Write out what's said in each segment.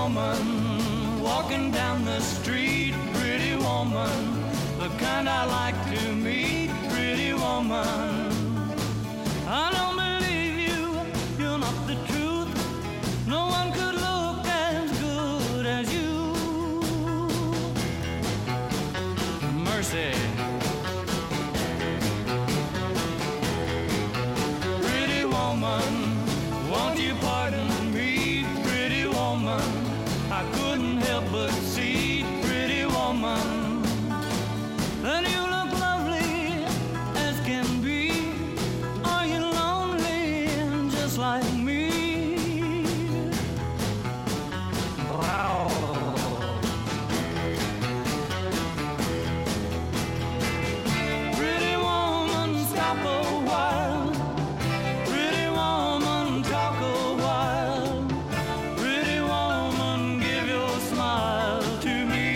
woman walking down the street, pretty woman, the kind I like to meet, pretty woman. I don't believe you, you're not the truth. No one could look as good as you. Mercy. Pretty woman, won't you pardon me, pretty woman? I couldn't help but see, pretty woman, that you look lovely as can be. Are you lonely just like me? Pretty woman, stop a while. Pretty woman, talk a while. Pretty woman, give your smile to me.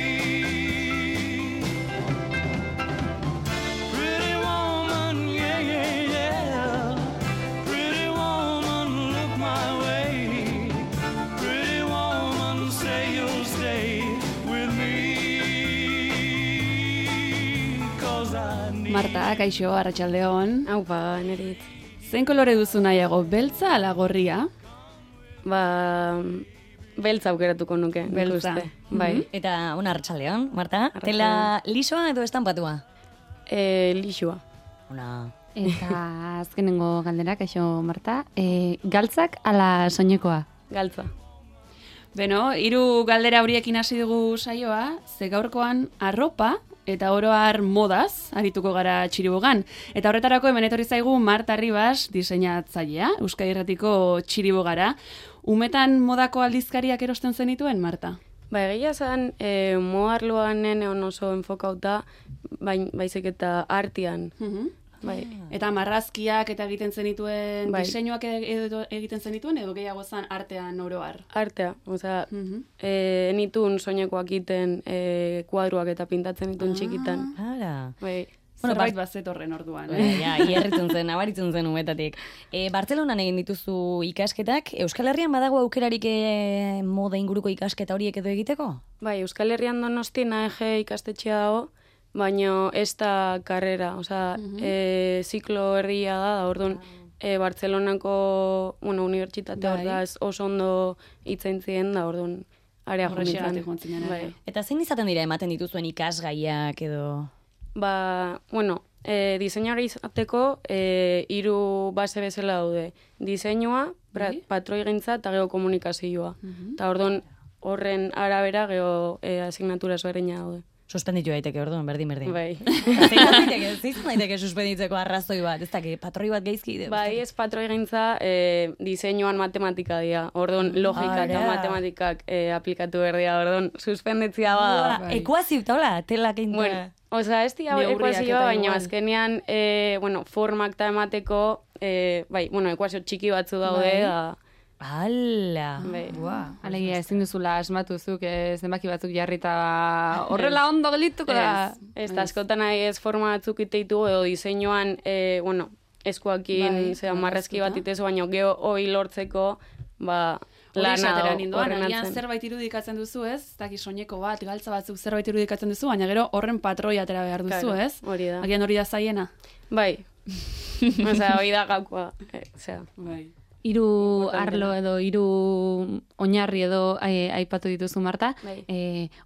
Pretty woman, yeah, yeah, yeah. Pretty woman, look my way. Pretty woman, say you'll stay with me. 'Cause I need. Marta, kaixo, arratsaldeon. Aupa, nerit. Zein kolore duzu nahiago, beltza ala gorria? Beltza aukeratuko nuke. nik Beltza. uste. Bai. Eta una arratsaldeon, Marta. Arratsaldeon. Tela lisoa edo estampatua? Lixua. Una. Eta azkenengo galdera, kaixo, Marta. Galtzak ala soinekoa? Galtza. Beno, 3 galdera horiekin hasi dugu saioa, ze gaurkoan arropa eta oro har modaz arituko gara Txiribogan. Eta horretarako hemen etorri zaigu Marta Ribas, diseinatzailea, Euskadi Irratiko Txiribogara. Umetan modako aldizkariak erosten zenituen, Marta? Ba, egia zen, moarloan neneon oso enfokauta, baizik eta artean. Bai. Eta marrazkiak eta egiten zenituen, Bai. diseinuak edo egiten zenituen, edo gehiago zen artean oro har? Artea, osea, nitun soinekoak egiten kuadruak eta pintatzen nituen txikitan. Ara. Bai. Bueno, Zerbait bazetorren orduan. Ja, hierritzen zen, nabaritzen zen umetatik. Bartzelonan egin dituzu ikasketak. Euskal Herrian badago aukerarik moda inguruko ikasketa horiek edo egiteko? Bai, Euskal Herrian Donostin AEG ikastetxea dago, baina ez da karrera, osea, ziklo erdia da orduan, Bartzelonako, unibertsitatea Bai. da oso ondo itzaintzien da, orduan, area Horrexegatik joan joan zinen, Bai. Eta zein izaten dira ematen dituzuen ikasgaiak edo... Ba, diseinari izateko 3 base bezala daude. Diseinua, Bai. patroigintza eta geokomunikazioa. Eta orduan horren arabera asignatura ezberdina daude. Suspenditu daiteke, orduan, berdin. Bai. Zein daiteke suspenditzeko arrazoi bat, ez daki, patroi bat geizki. Bai, ez patroigintza diseinuan matematika dira. Orduan logika eta Ara. matematikak aplikatu berdia. Orduan suspenditzia bada. Bai. Ekuazio, taula, telak einta. Bueno, osea, ez dira Neurriak ekuazioa, eta baina igual. azkenean, formak eta emateko, ekuazio txiki batzu daude, Bai. da, Ala. bai. Alegia, ezin duzula asmatuzuk, zenbaki batzuk jarrita horrela ondo gelituko da. Ez askotan ez forma batzuk iteitu edo diseinuan, eskuakin, Bai, marrazki bat marraztuta. itezu, baina geho hoi lortzeko, ba, Hori lana esatera dago nindoan, horren agian atzen. zerbait irudikatzen duzu, ez? Daki soineko bat, galtza batzuk zerbait irudikatzen duzu, baina gero horren patroi atera behar duzu, Claro, ez? hori da. Agian hori da zaiena. Bai, osea, hori da gakoa, osea. Bai. 3 arlo edo 3 oinarri edo aipatu dituzu, Marta. Bai.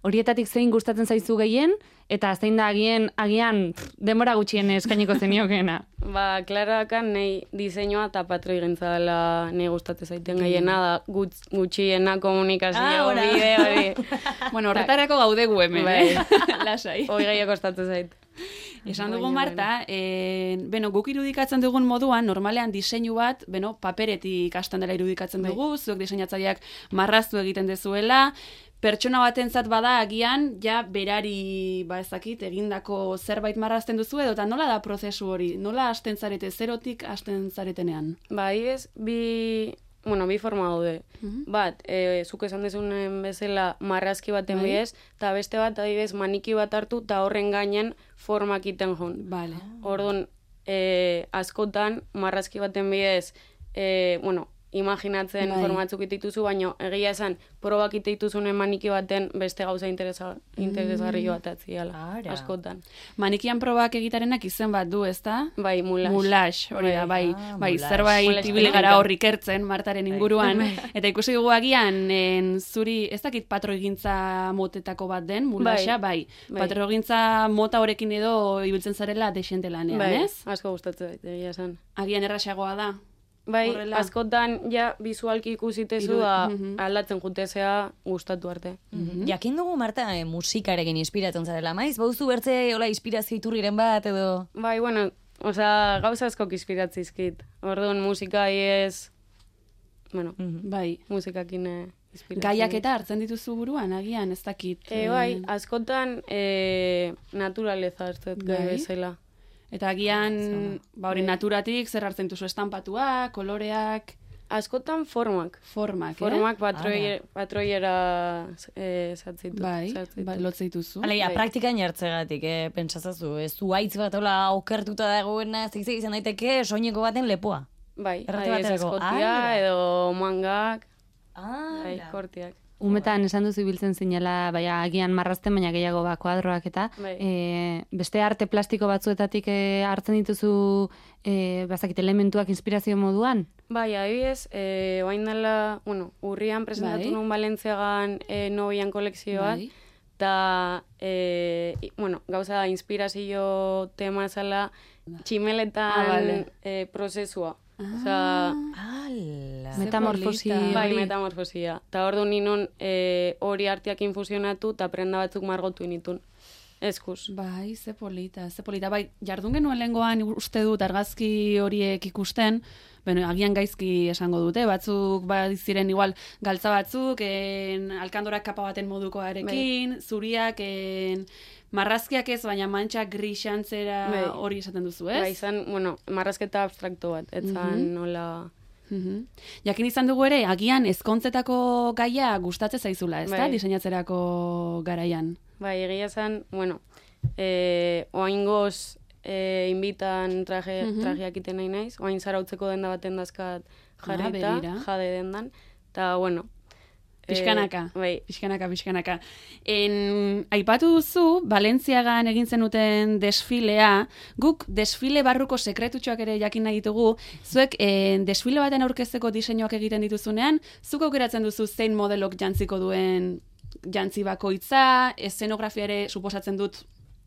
Horietatik zein gustatzen zaizu gehien eta zein da agian denbora gutxien eskainiko zeniokeena. Ba, klarakan nahi diseinua eta patroigintza dela nahi gustatzen zaiten gehiena da gutxiena komunikazio bide hori. Bueno, horretarako gaude gu hemen, Bai. Lasai. Hoi gehiago kostatzen zait. Esan dugu, Baina, Marta, guk irudikatzen dugun moduan, normalean diseinu bat, paperetik hasten dela irudikatzen dugu, zuek diseinatzaileak marraztu egiten dezuela, pertsona batentzat bada agian, ja berari, ezakit, egindako zerbait marrazten duzu edo, eta nola da prozesu hori? Nola hasten zarete, zerotik hasten zaretenean? Ba, adibidez, bi forma daude. Bat, zuk esan dezunen bezala marrazki baten bidez, eta beste bat, adibidez, maniki bat hartu, eta horren gainen formak iten joan. Vale. Orduan, askotan, marrazki baten bidez, imaginatzen Bai. formatzuk itituzu, baina egia esan, probak itituzunen maniki baten beste gauza interesgarri bat atziala, Ara. askotan. Manikian probak egitarenak izen bat du, ezta? Bai, mulas. Mulax, hori da, bai, mulas. zerbait Mulas ibili gara teknika. hor ikertzen Martaren inguruan, eta ikusi dugu agian, zuri, ez dakit patroigintza motetako bat den, mulaxa, bai. Patroigintza mota horekin edo ibiltzen zarela desente lanean, Bai, ez? asko gustatzen zait, egia esan. Agian errasagoa da. Bai, Horrela. askotan ja bizualki ikusitezu da aldatzen jutezea gustatu arte. Jakin dugu, Marta, musikarekin inspiratzen zarela, maiz? Bauzu bertze, hola, inspirazio iturriren bat, edo... Bai, bueno, osea, gauza askok inspiratzizkit. Orduan musika ez, bueno, Bai. musikakin inspiratzen. Gaiak eta hartzen dituzu buruan, agian, ez dakit. Bai, askotan naturaleza hartzet gai Bai. bezala. Eta agian, ba hori naturatik, zer hartzen duzu estampatuak, koloreak, Askotan formak. formak, Formak patroiera zatzitu. Bai, lotzen dituzu. Alegia, Bai. praktikan jartzegatik, pentsazazu, ez zuaitz bat hola okertuta dagoena, zikzik izan daiteke soineko baten lepoa. Bai, Errate adibidez baterako. eskotia Ala. edo mangak, Ah, bai, kortiak. Umetan esan duzu ibiltzen zinela, baina agian marrazten, baina gehiago kuadroak eta Bai. beste arte plastiko batzuetatik hartzen dituzu bazakit elementuak inspirazio moduan? Bai, adibidez, oain dela, bueno, urrian presentatu Bai. nun Balentziagan nobian kolekzioa, Bai. eta, bueno, gauza da, inspirazio tema zela tximeletan vale. prozesua. Osea, ala. Metamorfosi polita. bai, hori. metamorfosia. Eta ordu ninon hori arteak infusionatu eta prenda batzuk margotu initun. Eskuz. Bai, ze polita, ze polita. Bai, jardun genuen lehengoan uste dut argazki horiek ikusten, bueno, agian gaizki esango dute, batzuk ziren igual galtza batzuk, alkandorak kapa baten modukoarekin, zuriak, marrazkiak ez, baina mantxak grisantzera Bai. hori esaten duzu, ez? Bai, izan, bueno, marrazketa abstrakto bat, etzan nola... Jakin izan dugu ere, agian ezkontzetako gaia gustatzen zaizula, ez da, Bai. diseinatzerako garaian. Bai, egia zen, bueno, oaingoz inbitan trajeak iten nahi naiz, oain zarautzeko denda baten dazkat jarrita, begira. jade dendan, eta, bueno... Pixkanaka, bai, pixkanaka. Aipatu duzu, Balentziagan egin zenuten desfilea, guk desfile barruko sekretutxoak ere jakin nahi ditugu, zuek desfile baten aurkezteko diseinuak egiten dituzunean, zuk aukeratzen duzu zein modelok jantziko duen jantzi bakoitza, eszenografia ere suposatzen dut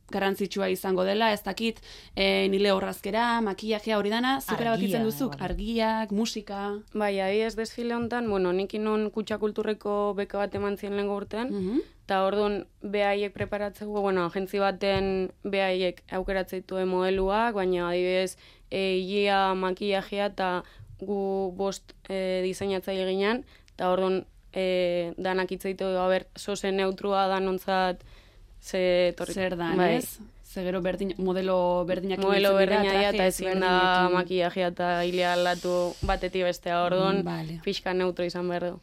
garrantzitsua izango dela, ez dakit, nile horrazkera, makillajea hori dana, zuk erabakitzen duzuk, argiak, musika... bai, adibidez desfile honetan, bueno, nik inon kutsa kulturreko beka bat eman zien lehengo urtean, eta orduan behaiek preparatzeko, bueno, agentzi baten behaiek aukeratzen dituen modeluak, baina adibidez, higia, makillajea, eta gu bost diseinatzaile ginen, eta orduan danak itzaitu, soze neutrua danontzat, zer dan, bai. Ez? Ze gero modelo berdinak modelo ibiltzen dira, berdina eta traje ezin da ezberdinekin. makillajea eta hilea aldatu batetik bestea orduan, Vale. pixka neutro izan behar du.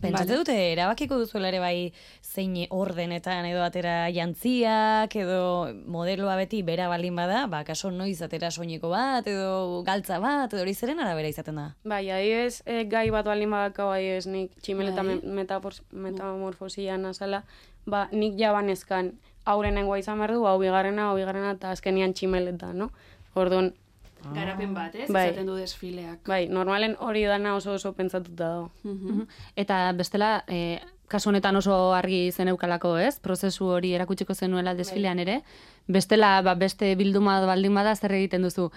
Pentsatze dute, erabakiko duzuela ere bai zein ordenetan edo atera jantziak, edo modeloa beti bera baldin bada, ba, kaso noiz atera soineko bat, edo galtza bat, edo hori zeren arabera izaten da. Bai, adibidez, gai bat baldin badakau adibidez nik tximeleta Bai. metamorfosia nazala, ba, nik jabanezkan aurenengoa izan behar du, hau bigarrena, eta azkenian tximeleta, no? Orduan, Garapen bat, ez? Bai. Izaten du desfileak. bai, normalen hori dana oso pentsatuta dago. Eta bestela, kasu honetan oso argi zen eukalako, ez? Prozesu hori erakutsiko zenuela desfilean ere. Bestela, beste bilduma baldin bada zer egiten duzu.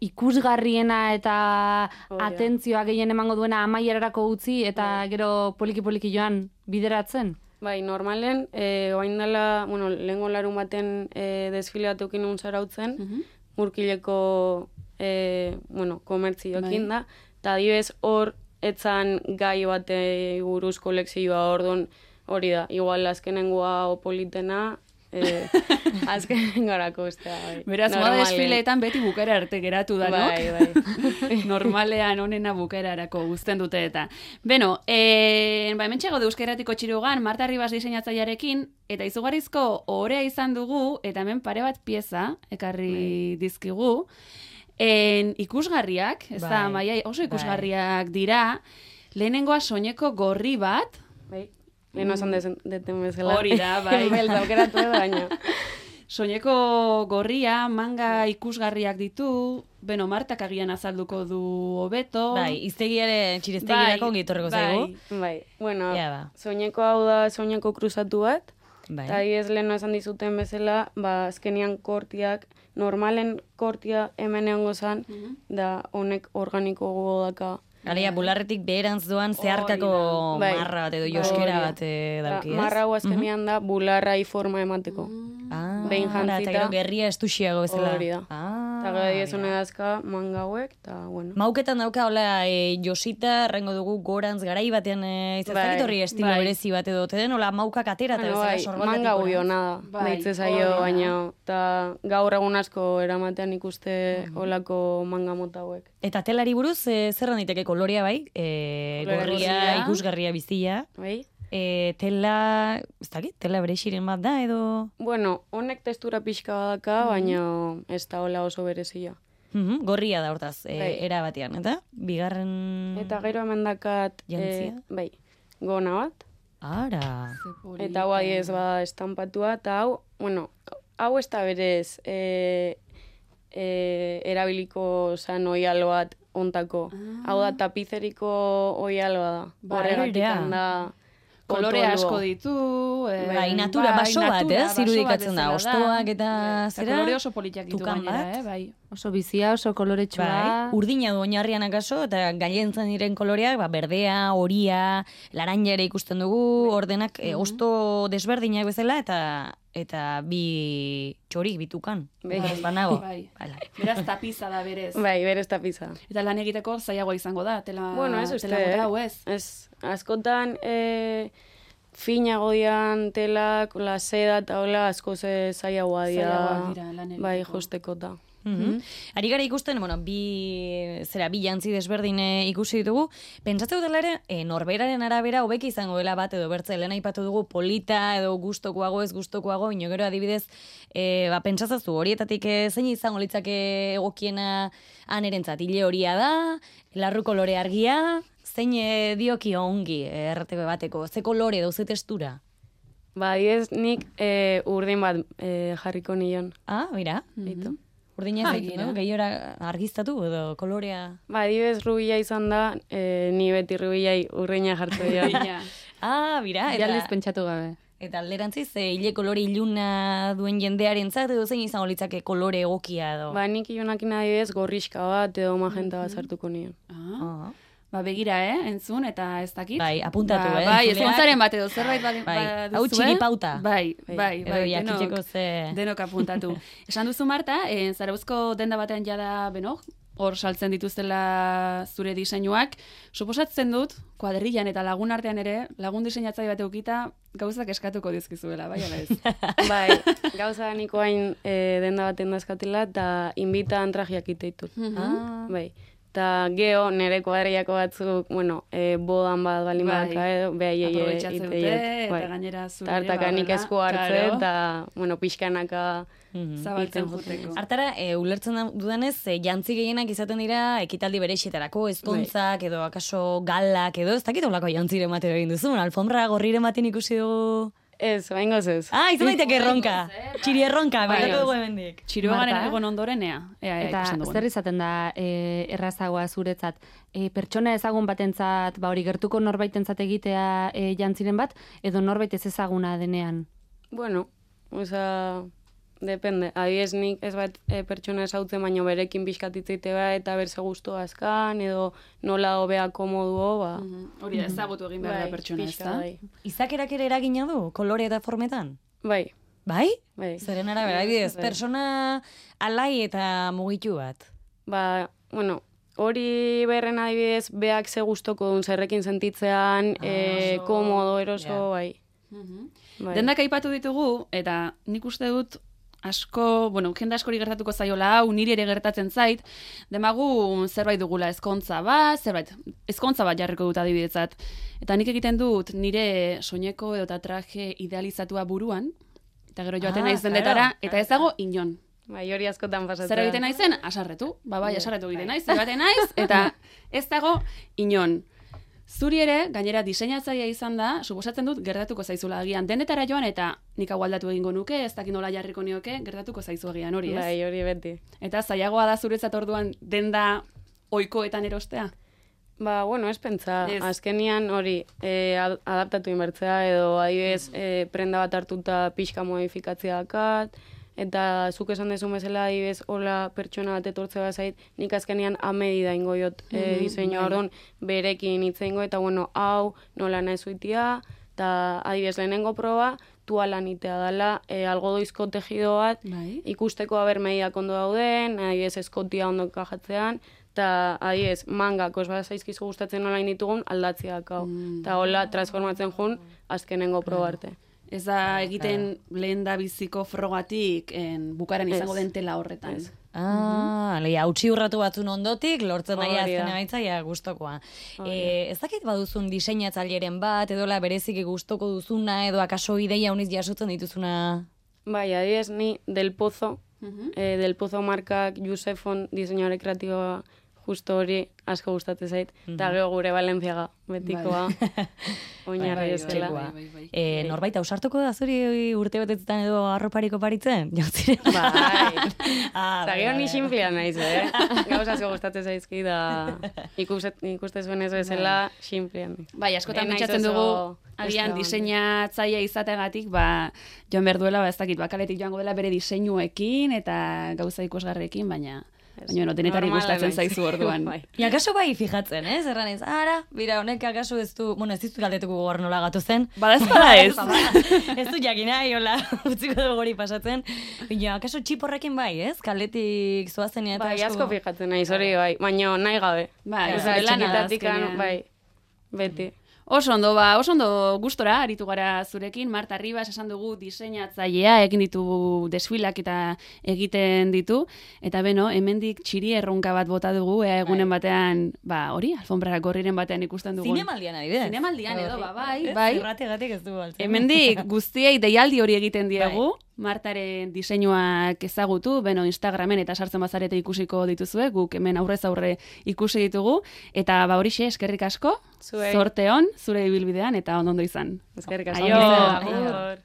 Ikusgarriena eta atentzioa gehien emango duena amaierarako utzi eta gero poliki-poliki joan bideratzen? Bai, normalen, oain dela, bueno, lehengo larun baten desfile bat eukin zarautzen, murkileko, bueno, komertzioekin da, eta adibidez hor etzan gai bate buruz kolekzioa orduan hori da, igual azkenengoa opolitena, azkenengarako bestea, bai. Beraz, moda desfileetan beti bukera arte geratu da, no? Bai, bai. Normalean onena bukerarako guzten dute eta. Beno, hemen txego Euskaratiko Txirugan, Marta Ribas diseinatzailearekin, eta izugarrizko orea izan dugu, eta hemen pare bat pieza ekarri dizkigu. Ikusgarriak, ez da, Bai. Maia, oso ikusgarriak dira, lehenengoa soineko gorri bat, Bai, lehen esan deten bezala. Hori da, bai. Beltz aukeratu edo baina. soineko gorria, manga ikusgarriak ditu, beno, Martak agian azalduko du hobeto. Bai, iztegiaren txirestegirako ongi etorriko zaigu. Bai, bueno, Ja, ba. soineko hau da soineko kruzatu bat, Bai. eta ez lehen esan dizuten bezala, azkenian kortiak, normalen kortia hemen egongo zan, da honek organiko gogo daka. Aleia, bularretik beherantz doan zeharkako Bai. marra bat edo Bai, joskera hori da. bat dauki, ez? Marra hau azkenian da bularrai forma emateko. behin jantzita. Eta gero gerria estuxiago bezala. Hori da. Eta gero diezune dazka manga hauek, eta bueno. Mauketan dauka, hola, Josita, rengo dugu gorantz garai batean, izazakit horri estilo bai. berezi bat edo, den, hola, maukak atera eta Bueno, bezala bai, sorbaldatik manga gorantz. guiona da, Bai, deitze zaio, hori da. baina eta gaur egun asko eramatean ikuste olako manga mota hauek. Eta telari buruz, zer daiteke kolorea bai? Gorria, guzia. ikusgarria biztia. Bai? Tela, ez dakit, tela berexiren bat da edo... Bueno, honek testura pixka badaka, baina ez da hola oso berezia. Gorria da hortaz, Bai. era batean, eta? Bigarren... Eta gero hemen dakat, Jantzia? bai, gona bat. Ara... Eta hau adiez bada estampatua, eta hau, bueno, hau ez da berez erabiliko zan oialo bat ontako. Hau da tapizeriko oialoa da. Horregatik Bai, da Kolore potolua. asko ditu. Bai, natura, baso bat, baso irudikatzen da, bezala hostoak eta Eta zera, kolore oso politak ditu tukan gainera, bat. bai. Oso bizia, oso koloretsua. Bai, urdina du oinarrian akaso, eta gailentzen diren koloreak, berdea, horia, laranja ere ikusten dugu, ordenak hosto desberdinak bezala, eta bi txorik bitukan. Bai. Ez banago. Bai. Hala. Beraz tapiza da berez. Bai, berez tapiza. Eta lan egiteko zailagoa izango da, tela, Bueno, ez uste, tela mota hau ez. Ez, askotan finago dian telak, la seda eta hola asko zailagoa Zailagoak dira lan egiteko. bai, jostekota. Ari gara ikusten, bueno, bi jantzi desberdin ikusi ditugu. Pentsatze dutela ere, norberaren arabera hobeki izango dela bat edo bertze, lehen aipatu dugu polita edo gustokoago ez gustokoago, ino gero adibidez, pentsazazu horietatik zein izango litzake egokiena anerentzat, hile horia da, larru kolore argia, zein dioki ongi RTB bateko, ze kolore edo ze testura? Ba, ez nik urdin bat jarriko nion. Ah, mira, Beitu. urdina ez mira. no? Gehiora argiztatu edo kolorea... Ba, adibidez rubila izan da, ni beti rubilai urdina jartzo dira. Baina, Ah, mira, Jaldiz pentsatu gabe. eta alderantziz, hile kolore iluna duen jendearentzat edo zein izango litzake kolore egokia edo. Ba, nik ilunakin adibidez gorriska bat edo magenta bat sartuko nion. Ah. ba begira, entzun, eta ez dakit. Bai, apuntatu, Bai, entzuleak. ezkontzaren bat edo zerbait Bai, baduzue. hau txiripauta. Bai, bai, Edo bai, jakiteko ze... denok apuntatu. Esan duzu, Marta, Zarauzko denda batean jada, beno, hor saltzen dituztela zure diseinuak. Suposatzen dut, kuadrillan eta lagun artean ere, lagun diseinatzaile bat eukita, gauzak eskatuko dizkizuela, bai, ala ez? Bai, gauza niko hain denda baten dazkatela, eta inbitan trajiak iteitut. Ah. Bai. Eta geho, nire kuadriako batzuk, bueno, bodan bat balin Bai. badaka edo, behaiei Aprobetxatzen dute, iteiet. eta gainera zure... Eta hartakanik esku hartze, eta, bueno, pixkanaka zabaltzen iten juteko. Hartara, ulertzen dudanez, jantzi gehienak izaten dira ekitaldi berexetarako, ezkontzak edo akaso galak edo, ez dakit olako jantziren batero egin duzu, alfombra gorriren baten ikusi dugu... Ez, baingoz ez. Ah, izan daiteke erronka, txiri erronka, baitako dugu hemendik. Txiroagaren Marta? egon ondorenea. Ea, Eta ikusten dugun. zer izaten da errazagoa zuretzat? Pertsona ezagun batentzat, ba hori gertuko norbaitentzat egitea jantziren bat, edo norbait ez ezaguna denean? Bueno, oza, depende. Adibidez nik ez bat pertsona ezautzen, baino berekin pixkatitzite ba, eta berze guztu azkan, edo nola hobea komoduo, ba. Hori da, ezagutu egin behar da Bai, pertsona, ez pixka, da? bai. Izakerak ere eragina du, kolore eta formetan? Bai, Bai? bai. Zeren arabera, adibidez, Bai. persona alai eta mugitu bat. Ba, bueno, hori berren adibidez, beak ze gustoko duen zerrekin sentitzean, komodo, eroso, Ja. bai. Bai. Dendak aipatu ditugu, eta nik uste dut asko, bueno, jende askori gertatuko zaiola hau, niri ere gertatzen zait, demagu zerbait dugula ezkontza bat, ezkontza bat jarriko dut adibidetzat. Eta nik egiten dut nire soineko edo eta traje idealizatua buruan, eta gero joaten naiz dendetara, eta ez dago inon. Bai, hori askotan pasatzen. Zer egiten naizen? Asarretu. Bai, asarretu egiten naiz, zer baten naiz, eta ez dago inon. Zuri ere, gainera diseinatzailea izan da, suposatzen dut gertatuko zaizula agian. Denetara joan eta nik hau aldatu egingo nuke, ez dakit nola jarriko nioke, gertatuko zaizu agian hori, ez? Bai, hori beti. Eta zailagoa da zuretzat orduan denda ohikoetan erostea? Ba, bueno, ez pentsa. Ez. Azkenian hori adaptatu inbertzea, edo adibidez prenda bat hartuta pixka modifikatzea dakat, eta zuk esan dezu bezala adibidez hola pertsona bat etortze bazait, nik azkenian amedida ingo jot diseinua, orduan berekin hitz eingo, eta bueno, hau nola nahi zuitia, eta adibidez lehenengo proba, tualan itea dela, algodoizko tejido bat, Bai. ikusteko aber mediak ondo dauden, adibidez eskotia ondo kajatzean, eta adibidez mangak osba zaizkizu gustatzen nola ditugun aldatziak hau. Eta hola transformatzen jun azkenengo proba arte. Ez da egiten lehen da biziko frogatik bukaran izango Ez. den tela horretan. Ez. Leia, hautsi urratu batzun ondotik, lortzen nahi Hori da. azken emaitza, gustokoa. Ez dakit baduzun diseinatzaileren bat, edola bereziki gustoko duzuna, edo akaso ideia uniz jasotzen dituzuna... Bai, adibidez ni Del Pozo, Del Pozo markak Josefon diseinore kreatiboa justo hori asko gustatzen zait, eta gero gure Valentziaga betikoa, oinarri ezela. Norbait ausartuko da zuri urte betetzen edo arroparik oparitzen? Jautzire? Bai. Ah, Zagio ni sinplea naiz, Gauza asko gustatzen zaizki da ikuste zuen ez bezala sinplea naiz. Bai, askotan Ez naiz pentsatzen oso dugu, agian extravagante. diseinatzailea izateagatik, joan behar duela, ez dakit, kaletik joango dela bere diseinuekin eta gauza ikusgarrekin, baina denetari Normala gustatzen naiz. zaizu orduan. Bai. Akaso bai fijatzen, ez? Erranez, bira, honek akaso ez du, bueno, ez dizu galdetuko gogor nola gatu zen. Bada ez bada ez. Ez du jakina, hola, utziko dugu hori pasatzen. Baina, akaso txiporrekin bai, ez? Kaletik zoazen eta Bai, asko fijatzen naiz, hori bai, baina nahi gabe. Bai, Osea, zure lana da txikitatikan, azkenean. bai, beti. Oso ondo gustora aritu gara zurekin. Marta Ribas esan dugu diseinatzailea, egin ditu desfilak eta egiten ditu. Eta beno, hemendik txiri erronka bat bota dugu, egunen batean, hori, alfonbrara gorriren batean ikusten dugu. Zinemaldian adibidez. Zinemaldian edo, bai. Zerrategatik ez du altzen. Hemendik guztiei deialdi hori egiten diegu, Martaren diseinuak ezagutu, beno Instagramen eta sartzen bazarete ikusiko dituzue, guk hemen aurrez aurre ikusi ditugu, eta horixe eskerrik asko, Zuei. zorte on, zure ibilbidean eta ondo izan. Eskerrik asko. Aio. Aio.